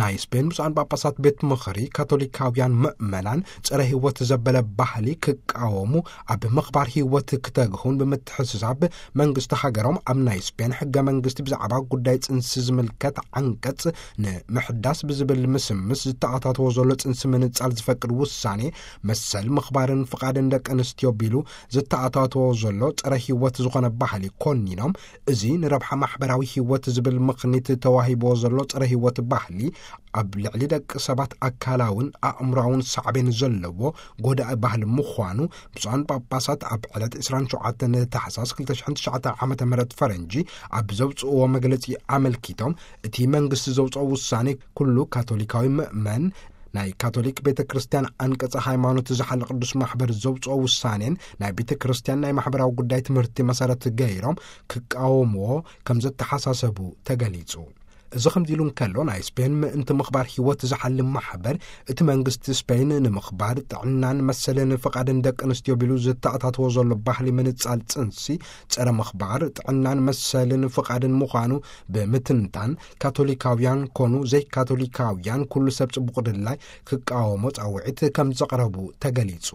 ናይ ስፔን ብፁዓን ጳጳሳት ቤት ምኽሪ፣ ካቶሊካውያን ምእመናን ጸረ ህይወት ዘበለ ባህሊ ክቃወሙ፣ ኣብ ምኽባር ህይወት ክተግሁን ብምትሕስሳብ፣ መንግስቲ ሃገሮም ኣብ ናይ ስፔን ሕገ መንግስቲ ብዛዕባ ጉዳይ ጽንሲ ዝምልከት ዓንቀጽ ንምሕዳስ ብዝብል ምስምስ ዝተኣታተዎ ዘሎ ጽንሲ ምንጻል ዝፈቅድ ውሳኔ መሰል ምኽባርን ፍቓድን ደቂ ኣንስትዮ ቢሉ ዝተኣታተዎ ዘሎ ጸረ ህይወት ዝኾነ ባህሊ ኮኒኖም፣ እዚ ንረብሓ ማሕበራዊ ህይወት ዝብል ምኽኒት ተዋሂብዎ ዘሎ ጸረ ህይወት ባህሊ ኣብ ልዕሊ ደቂ ሰባት ኣካላውን ኣእምሮኣውን ሳዕቤን ዘለዎ ጎዳኢ ባህሊ ምዃኑ ብፁዓን ጳጳሳት ኣብ ዕለት ዕስራን ሸውዓተን ታሕሳስ ክልተ ሽሕን ትሽዓተ ዓመተ ምህረት ፈረንጂ ኣብ ዘውፅእዎ መግለጺ ኣመልኪቶም፣ እቲ መንግስቲ ዘውፅኦ ውሳኔ ኩሉ ካቶሊካዊ ምእመን ናይ ካቶሊክ ቤተ ክርስቲያን ኣንቀጸ ሃይማኖት ዝሓለ ቅዱስ ማሕበር ዘውፅኦ ውሳኔን ናይ ቤተ ክርስቲያን ናይ ማሕበራዊ ጉዳይ ትምህርቲ መሰረት ገይሮም ክቃወምዎ ከም ዘተሓሳሰቡ ተገሊጹ። እዚ ከምዚ ኢሉ እንከሎ፣ ናይ ስፔን ምእንቲ ምኽባር ህይወት ዝሓልም ማሕበር፣ እቲ መንግስቲ ስፔን ንምኽባር ጥዕናን መሰልን ፍቓድን ደቂ ኣንስትዮ ቢሉ ዝተኣታተዎ ዘሎ ባህሊ ምንጻል ጽንሲ፣ ጸረ ምኽባር ጥዕናን መሰልን ፍቓድን ምዃኑ ብምትንታን፣ ካቶሊካውያን ኮኑ ዘይካቶሊካውያን ኩሉ ሰብ ጽቡቕ ድላይ ክቃወሞ ጻውዒት ከም ዘቕረቡ ተገሊጹ።